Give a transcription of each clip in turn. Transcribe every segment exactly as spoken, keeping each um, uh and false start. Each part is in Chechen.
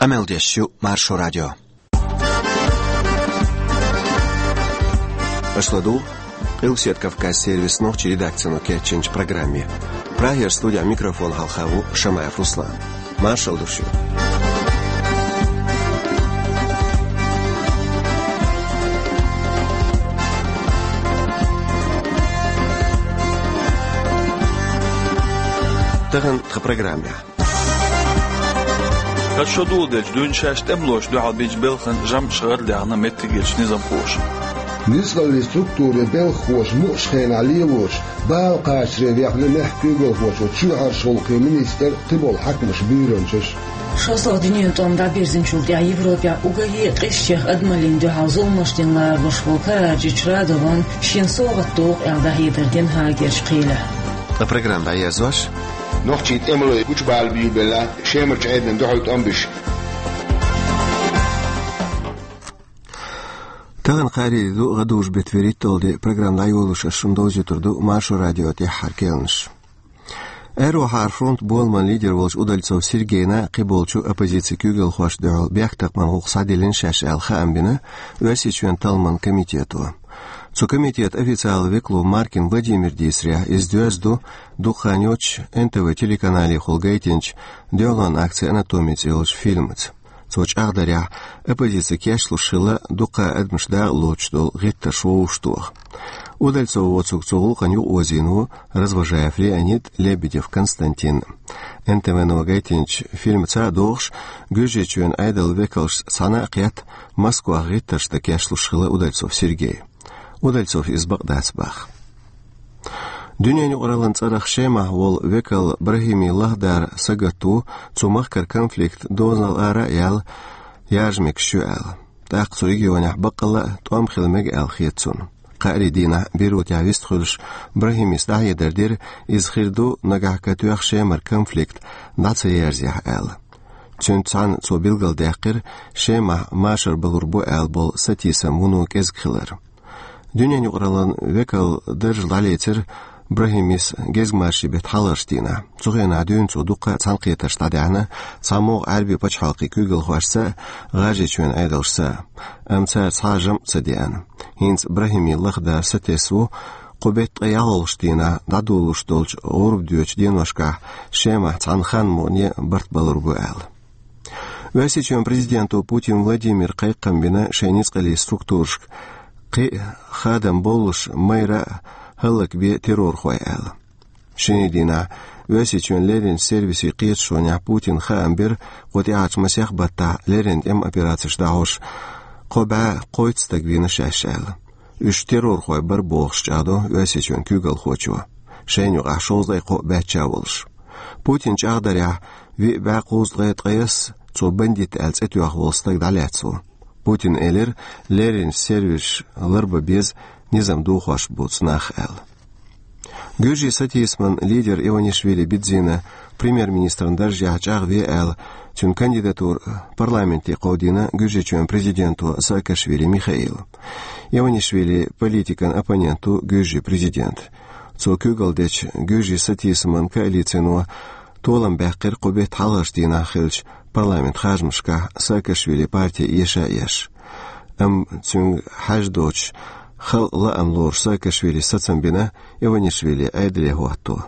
Къамел деш ю Маршо радио. Аша ладугӀу Къилбаседа Кавказ сервисан нохчийн редакцино кечйинчу программе. Прагера студехь микрофон хьалха ву Шамаев Руслан. Маршалла ду шуьга. Тахана тхан программехь. ХӀара шо доладелча дуьйна шаьш тӀемалошна дуьхьал бинчу белхан жамӀаш гӀардаьхна меттигерчу низамхоша. Ницкъаллин структурийн белхахоша мукъачу хенахь лелош, бала кхачаре вехна мехкан куьйгалхочо, чоьхьарчу гӀуллакхийн министр, кхиболу хьаькамаш, буьйранчаш. ШолгӀа дуьненан тӀом дӀабирзинчул тӀаьхьа Европехь уггаре а къизачех адамаллина дуьхьал зуламаш дина ларалуш волу Караджич Радован шена совгӀат доху аьлла дӀахьедар дина Гаагерчу кхелехь. Ткъа программа дӀаерзош. Нохчийн тӀемалой гучубала буьйлабелла Шемарчу Ӏедална дуьхьал тӀом беш. Тахана кхаарин де ду, гӀадужу беттан вуьрхӀитталгӀа де, программа дӀайолош ас шуна довзуьйтур ду Маршо радион тӀаьххьара керланаш. Аьрру хьара фронтан боламан лидер волчу Удальцов Сергейна а, кхиболчу оппозицин куьйгалхошна дуьхьал бехктакхаман гӀуллакх схьадиллина шаьш аьлла хаам бина Оьрсийчоьнан талламан комитето. Цу комитетан официалан векало Маркин Владимира дийцарехь, иза доьзна ду дукха хан йоццуш эн тэ вэ телеканалехула гайтинчу «Дуьхьалонан акци. Анатомия» цӀе йолчу фильмаца. Цо чӀагӀдарехь, оппозици кечлуш хилла дукха адамаш дакъа лоцуш долу гӀиттарш вовшахтоха. Удальцов воцург цу гӀуллакхана юкъаозийна ву Развожаев Леонид, Лебедев Константин. Эн тэ вэ-но гайтинчу фильмаца а догӀуш, Гуьржийчоьнан Ӏедалан векалшца цхьаьна а кхетта, Москвахь гӀиттарш дан кечлуш хилла Удальцов Сергей. Удальцовс иза бакъ дац боху. Дуьненан юкъараллин цӀарах Шемахь волу векал Брахими Лахдар сагатта ву цу махкара конфликт дозанал ара а яьлла, яржа мегаш ю аьлла. ТӀаккха цу регионехь баккъалла а тӀом хила мега аьлла хета цунна. Кхаарин дийнахь Бейрутехь вистхуьлуш, Брахимис дӀахьедар дира, иза хир ду, нагахь катоьхна Шемара конфликт дӀа ца ерзахь аьлла. Цуьнца цхьаьна цо билгалдаьккхира Шемахь машар балур бу аьлла болу сатийсам вуно кӀезиг хилар. Дуьненан юкъараллин векалан дарж дӀалецира Брахимис гезгмашин беттан хьалхарчу дийнахь. Цу хенахь дуьйна цо дуккха а цхьаьнакхетарш дӀадаьхьна цхьамогӀа Ӏаьрбийн пачхьалкхийн куьйгалхошца а, ГӀажарийчоьнан Ӏедалшца а. Амма цара цхьа а жамӀ ца деана. ХӀинца Брахими Лахдар сатесна ву кху беттан ткъе ялхалгӀачу дийнахь дӀадолалуш долчу гӀурба доьдучу деношкахь Шемахь цхьана хан-мукъане барт балур бу аьлла. Оьрсийчоьнан президенто Путин Владимира кхайкхам бина шайн ницкъаллин структурашка кхин а хадам боллуш майра а хӀаллакбе террорхой аьлла. Шинарин дийнахь Оьрсийчоьнан лерринчу сервисийн кхеташонехь Путина хаам бира кху тӀаьхьарчу масех баттахь леррина тӀеман операцеш дӀахьош кхо бӀе кхойтта стаг вийна шаьш аьлла. Уьш террорхой бара бохуш чӀагӀдо Оьрсийчоьнан куьйгалхочо. Шайна юкъахь шовзткъе кхоъ баьчча а волуш. Путина чӀагӀдарехь, виъ бӀе кхузткъе ткъайесна цо бандит аьлла цӀе тоьхна волу стаг дӀалаьцна ву. Путина элира, леррина сервисаш ларбан беза низам дохош боцу нах аьлла. Гуьржийн сатийсаман лидер Иванишвили Бидзина премьер-министран даржехь чӀагӀве аьлла, цуьнан кандидатура парламенте кховдийна Гуьржийчоьнан президенто Саакашвили Михаила. Иванишвили политикан оппонент ву Гуьржийн президента. Цо куьйгалла дечу Гуьржийн сатийсаман коалицино толам баьккхира кху беттан хьалхарчу дийнахь хиллачу парламентан харжамашкахь Саакашвилин парти эша а еш. Амма цуьнга хьажа доцуш, халкъан лаам лоруш Саакашвилис сацам бина Иванишвили Ӏедале хӀотто.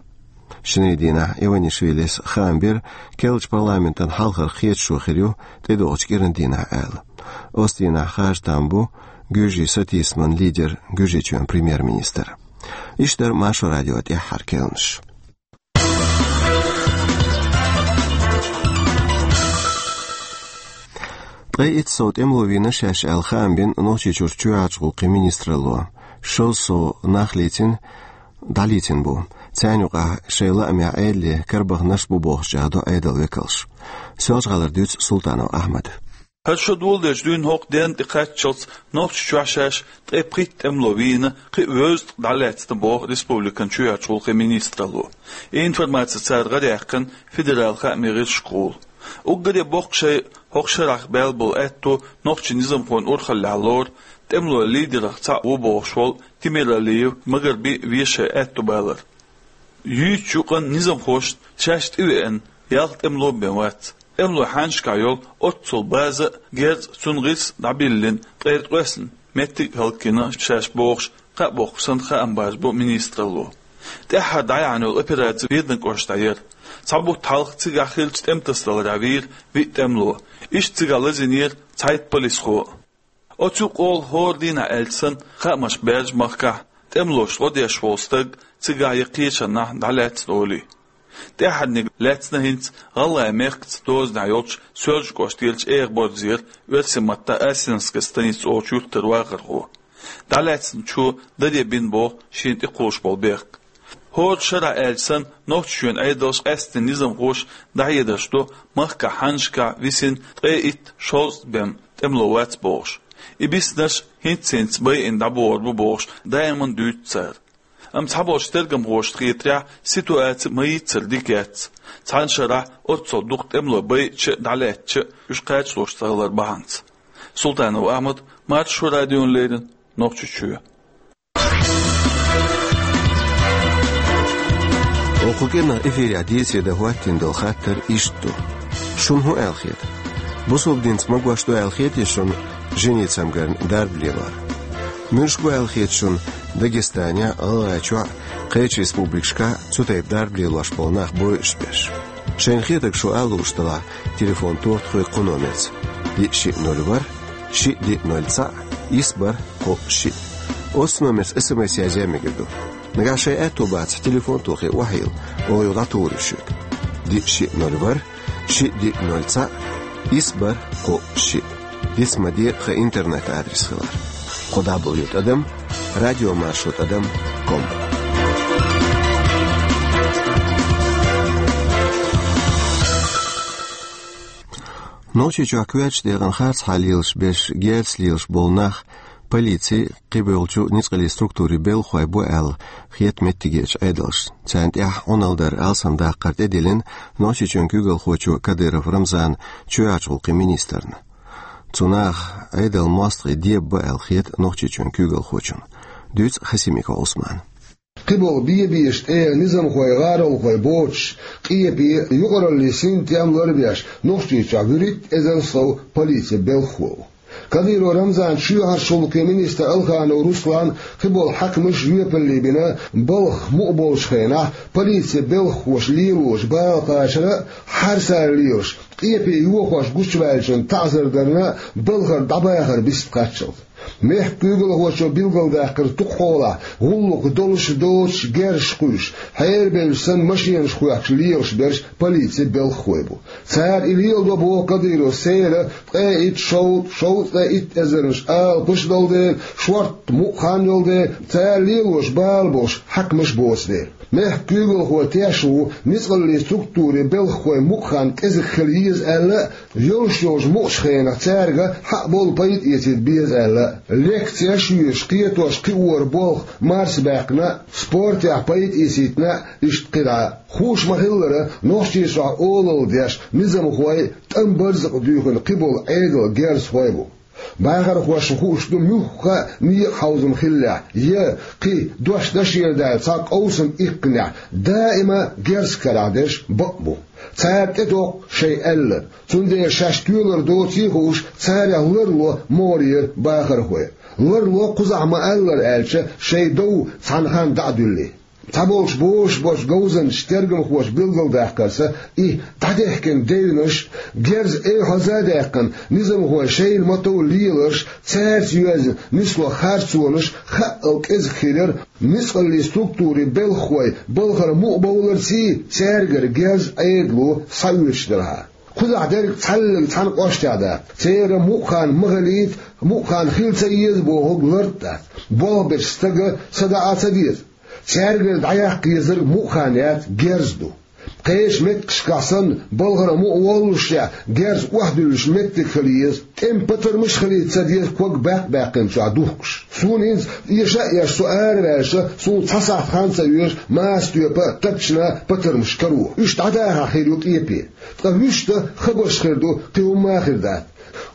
Шинарин дийнахь Иванишвилис хаам бира, керлачу парламентан хьалхара кхеташо хир ю тӀедогӀучу кӀиран дийнахь аьлла. Оцу дийнахь харжа там бу Гуьржийн сатийсаман лидер, Гуьржийчоьнан премьер-министр. Иштта дара Маршо радион тӀаьххьара керланаш. Ткъе итт сов тӀемало вийна шаьш аьлла хаам бина Нохчийчуьра чоьхьарчу гӀуллакхийн министралло. Шовзткъа сов нах лийцина, дӀалийцина бу. Царна юкъахь шайн лаамехь Ӏедале карабаханарш а бу бохуш чӀагӀдо Ӏедалан векалша. Соьлжа-ГӀалара дуьйцу Султанов Ахьмада. ХӀара шо доладелча дуьйна хӀокху денна тӀекхаччалц Нохчийчохь шаьш ткъе пхийтта тӀемало вийна, кхин а вевзткъа дӀалаьцна боху республикан чоьхьарчу гӀуллакхийн министралло. И информаци цара гӀараяьккхина федералан хаамийн гӀирсашкахула. Уггаре боккха шай хӀокху шарахь баьлла болу аьтто нохчийн низамхойн урхаллехь лору тӀемалойн лидерах цхьаъ ву бохуш волу Темиралиев Магарби вешан аьтто балар. Юьйцучу юкъанна низамхошна шаьш тӀевеана ялх тӀемало а бен вац. ТӀемалойн хьанашкахь йолу оццул база а, герз а, цунна гӀирс а дӀабиллина, ткъе ткъоьсна меттиг а хӀаллакйина шаьш бохуш, кхаъ боккхуш санна хаам бажабо министралло. ТӀаьххьара дӀаяьхьна йолу операци Веданан кӀоштахь яра. Цхьа бутт хьалха цигахь хиллачу тӀематасадаларехь вийра виъ тӀемало. Иштта цигахь лазийнера цхьайтта полисхо а. Оцу юкъа олу хӀора дийнахь аьлча санна, хаамаш баьржа махкахь, тӀемалошна гӀо деш волу стаг цигахь я кхечанхьа дӀалаьцна олий. ТӀаьххьарниг лаьцна хӀинца ГӀалгӀай-Мехкаца дозанехь йолчу Соьлжа-кӀоштарчу Эха-Борзера, оьрсийн маттахь Ассинская станица олучу юьртара вахархо. ДӀалаьцначо даре бина боху шена тӀекхуллуш болу бехк. ХӀора шарахь аьлча санна, Нохчийчоьнан Ӏедалша къаьсттина низамхоша дӀахьедарш до, махкахь хьаннашкахь висина ткъе итт, шовзткъа бен тӀемало вац бохуш. И биснарш хӀинц-хӀинца байина дӀабохур бу бохуш, даиман дуьйцу цара. Амма цхьаболчу тергамхошна хетарехь, ситуаци ма-йийццара дика яц. Цхьана шарахь оццул дукха тӀемало байъича а, дӀалаьцча а, уьш кхачалуш ца хилар бахьанца. Султанов Ахьмад, Маршо радиона леррина, Нохчийчоь. Оха кху кӀиранах эфирехь дийцаре дан хӀоттийна долу хаттар иштта ду: шуна хӀун аьлла хета? Бусалба динца магош ду аьлла хетий шуна жени-цамгарна дарба лелор? Муьлш бу аьлла хета шуна Дагестанехь а, ГӀалгӀайчохь а, кхечу республикашкахь а цу тайпа дарба лелош болу нах бойуш берш? Шайна хетарг шу ала лууш делахь, телефон тоха тхоьга кху номерца: диъ шиъ ноль ворхӀ, шиъ диъ ноль цхьаъ, исс бархӀ кхоъ шиъ. Оццу номерца СМС язъян мегар ду. Нагахь шайн аьтто бацахь, телефон тохий, охьайилла, оха юха дӀатухур ю шуьга. Диъ шиъ ноль ворхӀ, шиъ диъ ноль цхьаъ, исс бархӀ кхоъ шиъ. Диц ма де, тхан интернет-адрес хилар: кхо дабл ю тӀадам радио маршо тӀадам ком. Нохчийчохь коьртачу декъана харцахьа лелаш берш, герз лелаш болу нах полицин, кхиболчу ницкъаллин структурийн белхахой бу аьлла хета меттигерчу Ӏедалшна. Царна тӀехь Ӏуналла дар, алсамдаккхар тӀедиллина Нохчийчоьнан куьйгалхочо Кадыров Рамзанна, чоьхьарчу гӀуллакхийн министрна. Цу наха Ӏедалан мостагӀий дебабо аьлла хета Нохчийчоьнан куьйгалхочунна. Дуьйцу Хасимиков Ӏусмана. Кхиболу бе-беша тӀера низамхой, гӀаролхой боцуш, къепе, юкъараллин синтем ларбеш, Нохчийчохь вуьрхӀитта эзар сов полицин белхахо ву. Кадыров Рамзан, чоьхьарчу гӀуллакхийн министр Алханов Руслан, кхиболу хьаькамаш жоьпалле бина, балхах мукъа болчу хенахь полицин белхахоша лелочу бала кхачарна а, хьарсара лелаш, къепе йохош гучуваьллачунна таӀзар дарна а, балхара дӀабахар бист кхаччалц. Мехкан куьйгалхочо билгалдаьккхира, тукхахьолахь гӀуллакх долуш а доцуш а герзаш кхуьйсуш, хьерабеллачу санна машенаш хоьхкуш лелаш берш полицин белхахой бу. Цара и леладо, боху Кадыровс, церан ткъе итт, шовзткъа, шовзткъе итт эзарнаш алапаш долу дела, шортта мукъа хан йолу дела, цара лелош бала болуш хьаькамаш боцу дела. Мехкан куьйгалхо тешна ву, ницкъаллин структурийн белхахойн мукъа хан кӀезиг хила еза аьлла а, йолуш йолчу мукъачу хенахь цаьрга хьакъ болу пайда эцийта беза аьлла а. Лекцеш а йоьшуш, кхетош, кхиоран болх марсабаьккхина а, спортехь пайда эцийтина а, иштта кхидӀа а. Хууш ма-хиллара, Нохчийчохь олалла деш, низамхой, тӀам-барзакъ дуьйхина кхиболу Ӏедалан герзахой бу. Бахархошна хууш ду, муьлхха а некъан хьовзам хиллехь, я кхин дош дашера даьлла цхьа къовсам иккхинехь, даима герз карахь дерш бакъ бу. Цара тӀетокху шайн аьлларг, цундела шаьш тоьлур доций а хууш, царех ларло могӀарера бахархой. Ларло кхузахь ма-аллара аьлча, шайн дов цхьана ханна дӀа а дуьллий. Цхьаболчу бозуш болчу говзанчаша, тергамхоша билгалдаккхарца, и дӀадехкина девнаш, герз эвхьаза а даьккхина, низамхой шайна ма-тов леларш, цаьрца йоьзна нисло харцонаш хаъал кӀезиг хилира ницкъаллин структурийн белхахой балхара мукъа бовларций, цаьргара герз Ӏедало схьаоьцуш делахь а. Кхузахь дерг цхьаьллиг цхьана кӀоштехь дац. Церан мукъа хан ма хилийта, мукъа хан хила ца еза бохург лартӀ дац. Болх бечу стага садаӀа ца деза. Цаьргара дӀаяккха езарг мукъа хан яц, герз ду. Кхечу меттигашкахь санна, балхара мукъа воллушехь, герз охьадуьллуш меттиг хила еза. ТӀеман патармаш а хилийта ца деза, ког баккха баьккхинчохь духкуш. Суна хӀинца эша а эшна, со араваьлча, суна цхьа сахьт хан ца оьшу, маса тоьпа а, тапчана а патармаш каро. Уьш дӀадахахь хир ю къепе. Ткъа вуьшта хабарш хир ду, кхин хӀумма а хир дац.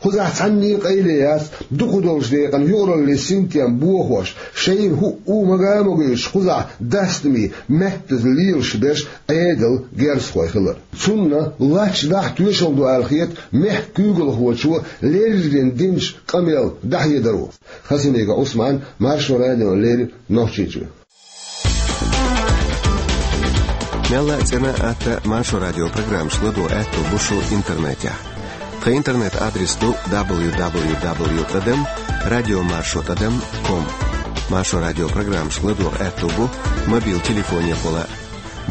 Кхузахь цхьанне а къайле яц, дукхах долчу декъана юкъараллин синтем бохош, шайна хӀуъа а мага а могуьйтуш, кхузахь дастаме, маьттаза лелаш берш Ӏедалан герзахой хилар. Цунна лач дахьа тоьшалла ду аьлла хета мехкан куьйгалхочо леррина динчу къамелан дӀахьедаро. Хасимиков Ӏусман, Маршо радиона леррина, Нохчийчоь. Мелла а цӀена а, атта а Маршо радион программаш ладогӀа аьтто бу шун интернетехь. Тхан интернет-адрес ду дабл ю дабл ю дабл ю тӀадам радиомаршо тӀадам ком. Маршо радион программаш ладогӀа аьтто бу мобил телефонехула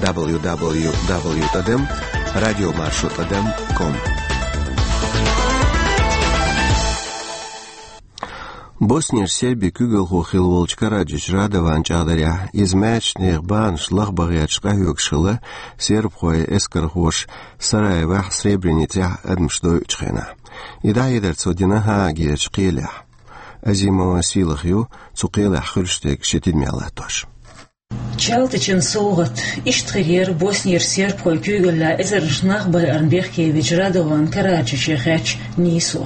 дабл ю дабл ю дабл ю тӀадам радиомаршо тӀадам ком. Боснера сербийн куьйгалхо хилла волчу Караджич Радован чӀагӀдарехь, иза маьршачу нехан бахамаш лахбан гӀерташ къахьоьгуш хилла сербхойн эскархоша Сараевохь, Сребреницехь адамаш дойучу хенахь. И дӀахьедар цо дина Гаагерчу кхелехь. Азимова Сийлаха ю цу кхелехь хуьлуш дерг шен тидамехь латтош. Чалтачун совгӀат. Иштта хир яра Боснера сербхойн куьйгаллехь эзарнаш нах байарна бехкевечу Радован Караджиче хаьттича нийсо.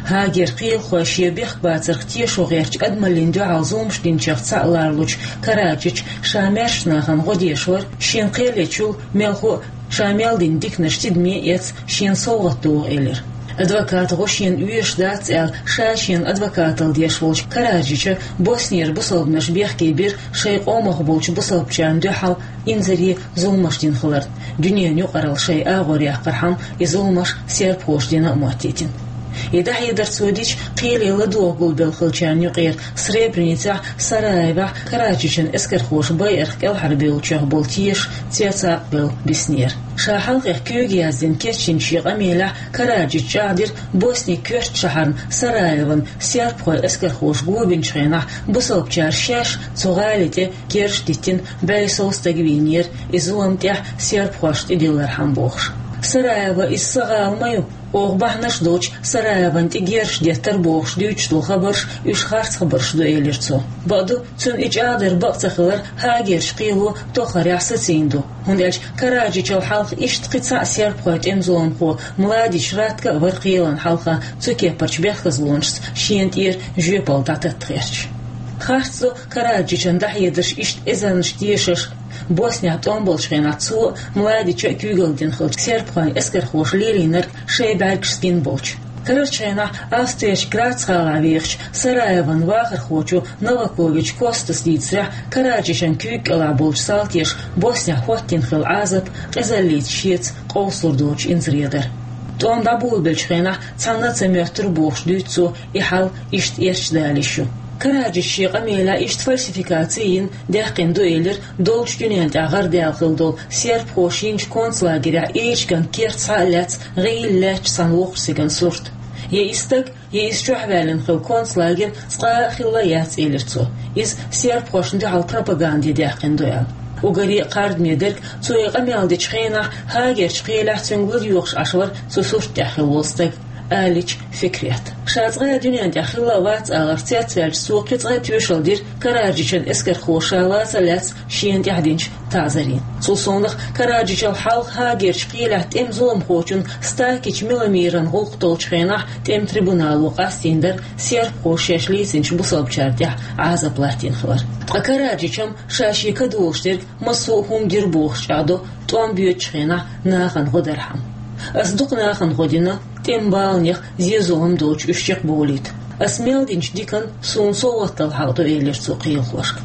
Гаагерчу кхелахой шен бехк бацарх тешо гӀертачу адамаллина дуьхьал зуламаш динчех цхьаъ лоруш волчу Караджича ша маьршачу нахана гӀо деш вара, шена кхел ечул, мелхо а, ша мел дина диканаш тидаме а эцна, шена совгӀат догӀу элира. Адвокатан гӀо шена оьшуш дац аьлла, ша шена адвокаталла деш волчу Караджича Боснера бусалбанаш бехке бира шайн къомах болчу бусалбачарна дуьхьал инзаре, зуламаш дина хиларна, дуьненан юкъаралла шайн агӀор яккхархьама, и зуламаш сербхоша дина а моттийтина. И дӀахьедар цо дича, кхеле ладогӀа гулбелла хиллачарна юкъера Сребреницехь, Сараевохь Караджичан эскархоша байарх кӀелхьарбевллачех болу тешаш цецакъбевлла биснера. Ша хьалхе куьйга яздина кечйинчу шен къамелехь Караджича чӀагӀдира Боснин коьртачу шахьарна Сараевана сербхойн эскархоша го бинчу хенахь, бусалбачара шаьш цу гӀали тӀе керш диттина бӀе сов стаг вийнера, и зулам тӀехь сербхошна тӀедиллархьама бохуш. Сараево иза сан гӀала ма ю, оха бахьанаш доцуш Сараевана тӀе герзаш деттара бохуш дуьйцуш долу хабарш уьш харц хабарш ду, элира цо. Бакъду, цуьнан и чӀагӀдар бакъ ца хилар Гаагерчу кхело тоххарехь сацийна ду, хӀунда аьлча Караджичал хьалха иштта кхин цхьаъ сербхойн тӀеман зуламхо Младич Ратко а вара кхелана хьалха цу кепарчу бехказлонашца шена тӀера жоьпалла дӀататта гӀерташ. Харц ду Караджичан дӀахьедарш иштта эзарнаш тешарх. Боснехь тӀом болчу хенахь цо а, Младича а куьйгалла дина хиллачу сербхойн эскархоша лелийнарг шайн бӀаьргашца гина болчу. Карарчу хенахь Австрерчу Грац гӀалахь вехачу Сараеван вахархочо Новакович Костас дийцарехь, Караджичан куьйга кӀелахь болчу салтеша Боснехь хӀоттийна хилла Ӏазап къизаллица шеца къовсалур доцуш инзаре дара. ТӀом дӀаболабеллачу хенахь цхьанна а ца моьттура бохуш дуьйцу цо, и хьал иштта эрча дала йиш ю. Караджича шен къамелехь иштта фальсификаци йина даьккхина ду элира долчу дуьнен тӀехь гӀардаьлла хилла долу сербхоша йинчу концлагерехь Эчиган керта схьа а лаьцна гӀийла лаьтташ цхьана воккхачу стеган сурт. Я и стаг, я иза чохь ваьллина хилла концлагерь цкъа а хилла яц, элира цо. Иза сербхошна дуьхьал пропаганда ян даьккхина ду аьлла. Уггаре а кхардаме дерг, цо и къамел дечу хенахь Гаагерчу кхелехь цуьнга ладоьгӀуш Ӏаш вара цу сурт тӀехь хилла волу стаг, Алич Фикрет. Ша цкъа а дуьнен тӀехь хилла а вац аларх цецваьлча, цо кхин цкъа а тоьшалла дира Караджичан эскархоша ша лаца а лаьцна шена тӀехь динчу таӀзарийн. Цул совнаха Караджичал хьалха Гаагерчу кхелехь тӀеман зуламхочун Стакич Миломиран гӀуллакх толлучу хенахь тӀеман трибунало къастийна дара сербхоша шаьш лийцинчу бусалбачарна тӀехь Ӏазап латтийна хилар. Ткъа Караджичам ша шен кадолуш дерг массо а хӀума дира бохуш чӀагӀдо тӀом боьдучу хенахь нахана гӀо дархьама. Ас дукха нахана гӀо дина, тӀеман баланех, зен-зулам доцуш уьш чекхбовлийта. Ас мел динчу диканна суна совгӀат дала хьакъ ду, элира цо кхелахошка.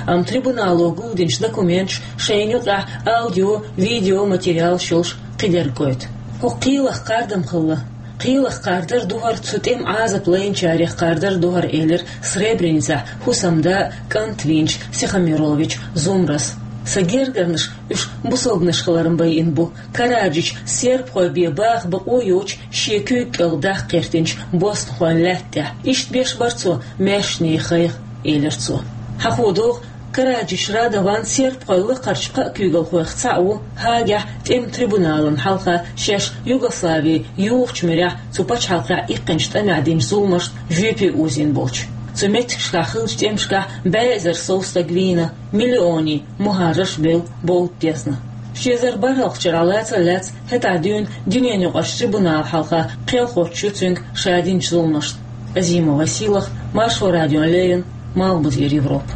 Амма трибунало гулдинчу документаш шайна юкъехь аудио, видео материалаш йолуш кхидерг гойту. ХӀокху кхелах кхардам хилла. Кхелах кхардар ду хӀара, цу тӀеман Ӏазап лайначарех кхардар ду хӀара, элира Сребреницехь хӀусамда а, кӀант вийначу Сихомирович Зумрас. Сан гергарнаш уьш бусалбанаш хиларна байина бу. Караджича сербхой бен баха бакъо йоцуш шен куьйга кӀел даккха гӀиртинчу боснахойн лаьтта тӀехь. Иштта беш бара цо маьршачу нехан гӀайгӀа, элира цо. Хьахо догӀу, Караджич Радован сербхойн лакхарчу кхаа куьйгалхойх цхьаъ ву, Гаагехь тӀеман трибуналан хьалха шаьш Югослави юхучу муьрехь цу пачхьалкхехь иккхинчу тӀамехь динчу зуламашна жоьпе озийна болчу. Цу меттигашкахь хиллачу тӀемашкахь бӀе эзар сов стаг вийна, миллионийн мухӀажарш бевлла бовда дезна. Ши эзар бархӀалгӀачу шарахь лаца а лаьцна, хӀетахь дуьйна дуьненаюкъарчу трибунала хьалха кхел хоттуш ю цуьнга ша динчу зуламашна. Азимов Василах, Маршо радиона леррина, Малхбузера Европа.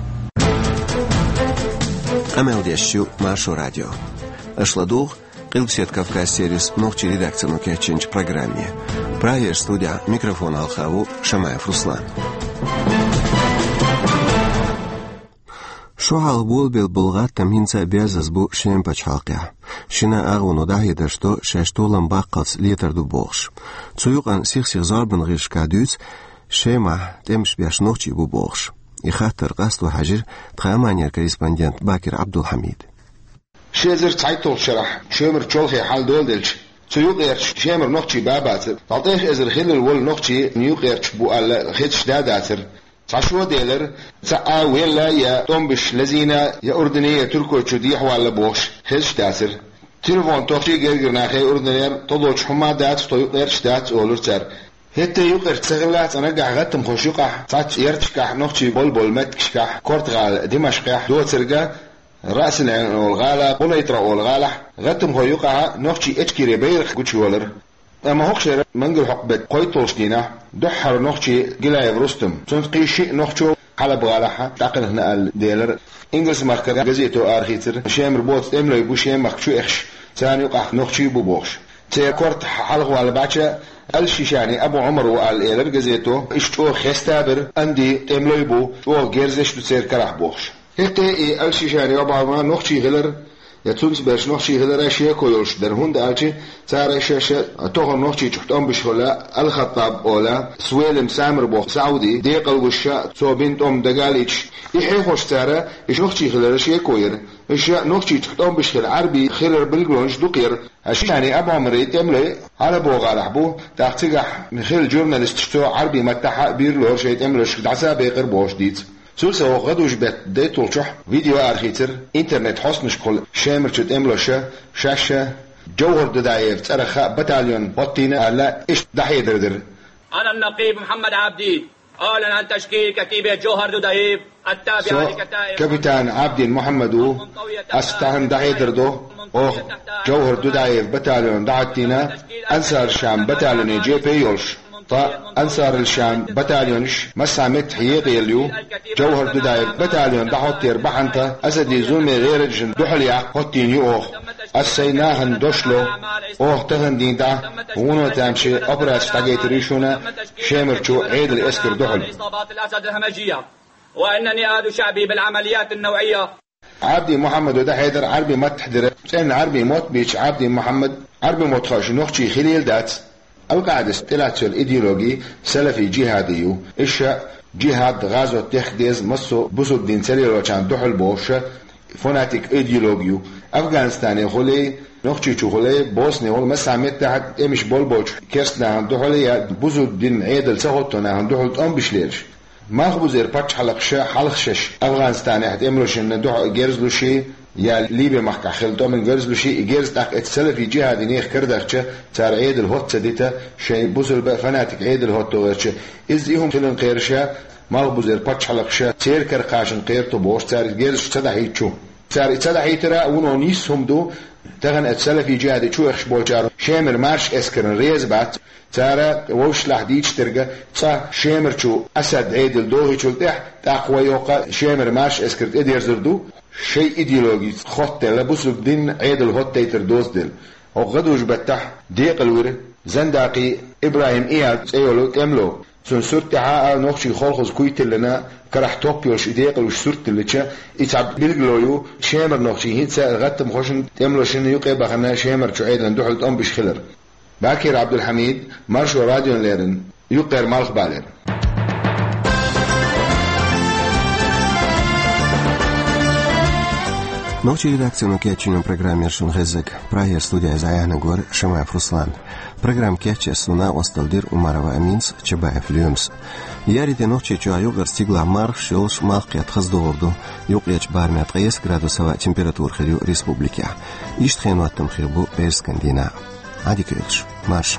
Къамел деш ю Маршо радио. Аша ладугӀу Къилбаседа Кавказ сервисан нохчийн редакцино кечйинчу программе. Прагера студехь микрофон хьалха ву Шамаев Руслан. Шо хьалха болабелла болу гӀаттам хӀинца а берзаза бу Шеман пачхьалкхехь. Шина агӀоно дӀахьедарш до, шаьш толам баккхалц летар ду бохуш. Цу юкъана сих-сиха зорбанан гӀирсашкахь дуьйцу, Шемахь тӀемаш беш нохчий бу бохуш. И хаттар къасто хьаьжира тхан Ӏаманера корреспондент Бакир Ӏабдулхьамида. Ши эзар цхьайтталгӀачу шарахь Шемара чолхе хьал доладелча, цу юкъерчу Шемара нохчий бан а бацара, дӀа тӀех эзар хиллал волу нохчий юкъерчу бу аьлла хезаш а дацара. Цхьа шо делира, цхьаъ велла я тӀом беш лазийна, я Урдане, я Туркойчу дехьаваьлла бохуш, хезаш а дацара. Телефон тохчий гергара нахе Урданера тхо долчу хӀума а дац, тхо юкъерчаш а дац, олура цара. ХӀетте а юкъерчаш ца хиллехь, цкъа нагахь гӀаттамхойн юкъахь цхьацца ярташкахь нохчий болу-болу меттигашкахь, Корта-гӀала, Димашкъехь, доцург а, Раъсин-Ӏайн олу гӀала, Къунайтра олу гӀалахь, гӀаттамхойн юкъахь нохчий Эчкери байракх гучуйолура. Амма хӀокху шеран мангал хьокху беттан кхойтталгӀачу дийнахь дуьххьара нохчи Гилаев Рустам, цуьнца кхин шиъ нохчо Хьалаб-гӀалахь дӀакхелхина аьлла делира. Ингалс-махкара газето арахийцира, Шемара боцу тӀемалой бу Шемахка чу эхаш, царна юкъахь нохчий а бу бохуш. Церан корта хьалхаваьлла баьчча, Ал-Шишани Абу Ӏумар ву аьлла элира газето, иштта чӀогӀа хеста а бира, Анди тӀемалой бу, чӀогӀа герзаш а ду церан карахь бохуш. ХӀетте и Ал-Шишани Абу Ӏумар нохчий хилар, я цуьнца берш нохчий хилар шеко йолуш дара, хӀунда аьлча цара шаьш тохара Нохчийчохь тӀом беш хилла Ал-Хаттаб олу, Суэлим Самир боху Сауди декъалвеш, цо бина тӀом дагалоцуш, и хьехош цара, и нохчий хилар шеко яра. Иштта Нохчийчохь тӀом беш хилла Ӏарбий хилар билгалонаш дукха яра. Ал-Шишани Абу Ӏумаран тӀемалой Хьалаб-гӀалахь бу, тӀаккха цигахь хилла журналисташ, цо Ӏарбийн маттахь а бийр лору шайн тӀемалошка дӀасабекъар бохуш дийца. Цул совнаха гӀадужу беттан дейтталгӀачохь видео арахийцира интернет хьостанашкахула Шемарчу тӀемалоша, шаьш Джовхар Дудаевн цӀарах батальон хӀоттийна аьлла, иштта дӀахьедар дира. أنا النقيب محمد عابدين أعلن عن تشكيل كتيبة جوهر دودايف التابعة Со لكتائب капитан Ӏабдин Мухьаммад ву. Ас тахана дӀахьедар до, оха Джовхар Дудаевн батальон дӀахӀоттийна, Ансар-Шам батальоне жепе йолуш. Ткъа Ансар-ал-Шам батальонаш массанхьа меттехь екъаелла ю. Джовхар Дудаевн батальон дӀахӀоттаран бахьана тхан Асадин зуламе гӀераджашна дуьхьал яккха хӀоттийна ю оха. Ас сайн нахана дош ло, оха тахана дийнахь вуно тамашийна операцеш дӀагайтар ю шуна Шемарчу Ӏедалан эскарна дуьхьал. وإنني أعد شعبي بالعمليات النوعية. Ӏабдин Мухьаммада дӀахьедар Ӏарбийн маттахь дира. ЦӀена Ӏарбийн мотт бийцича Ӏабдин Мухьаммада Ӏарбийн мотт хууш нохчи хилийла дац. Ал-КъаӀидас тӀелаьцна йолу идеологи салафи-жихӀади ю. Иштта жихӀад, гӀазот дехка деза массо а бусулба дин ца лелочарна дуьхьал бохуш фанатик идеологи ю. Афганистане хуьлий, Нохчийчу хуьлий, Босне хуьлий, массанхьа меттехь тӀемаш болболчу керста нахана дуьхьал я бусулба динан Ӏедал ца хӀотто нахана дуьхьал тӀом беш лелаш. Малхбузера пачхьалкхаша хьалха шаьш Афганистанехь тӀемалошна дуьхьа герз луш, я Ливи-махкахь хилла тӀом беш герз луш, и герз тӀаккха эцу салафи-жихӀади нехан кара дахча, цара Ӏедал хӀотта ца дита, шайн бусулба фанатик Ӏедал хӀотто гӀерташ. Иза и хӀума хиларна кхераш, малхбузера пачхьалкхаша церан кара кхачарна кхерар ду бохуш, цара и герзаш ца дӀахьийта чу. Цара и ца дӀахьийтар а вуно нийса хӀума ду, тахана эцу салафи-жихӀади чу эхаш болчара Шемара марша эскарна реза бац. Цара вовшашлахь дийцича дерг, цкъа Шемарчу Асад Ӏедал дохийчул тӀаьхьа, тӀаккха вай йоккха Шемара марша эскар тӀедерзар ду, шайн идеологица хоттаделла бусулба динан Ӏедал хӀоттайтар доцаделла. ХӀокху гӀадужу баттахь декъала вира Зандакъи ИбрахӀим Ияд цӀе йолу тӀемало. Цуьнан сурт тӀехь а нохчийн холхазан куй тиллина, карахь топ йолуш и декъалвеш сурт тиллича, и цхьа билгало ю, Шемара нохчий хӀинца а гӀаттамхошна, тӀемалошна юкъе а бахана, Шемарчу Ӏедална дуьхьал тӀом беш хилар. Бакир Ӏабдулхьамид, Маршо радиона леррина, Юккъера Малхбалера. Нохчийн редакцино кечйинчу программера шуна хезнарг, Прагера студехь иза Ӏаьхьнарг вара Шамаев Руслан. Программа кечъеш суна накъосталла дира Умарова Аминас, Чабаев Лоьмас. Яри де Нохчийчохь юкъара стигалахь мархаш йолуш, малх кхетта хаза догӀур ду, юккъерчу барамехь ткъе исс градус хӀаваан температура хир ю республикехь. Иштта хенан хӀоттам хир бу пӀераскан дийнахь. Ӏадика йойла шун, марша.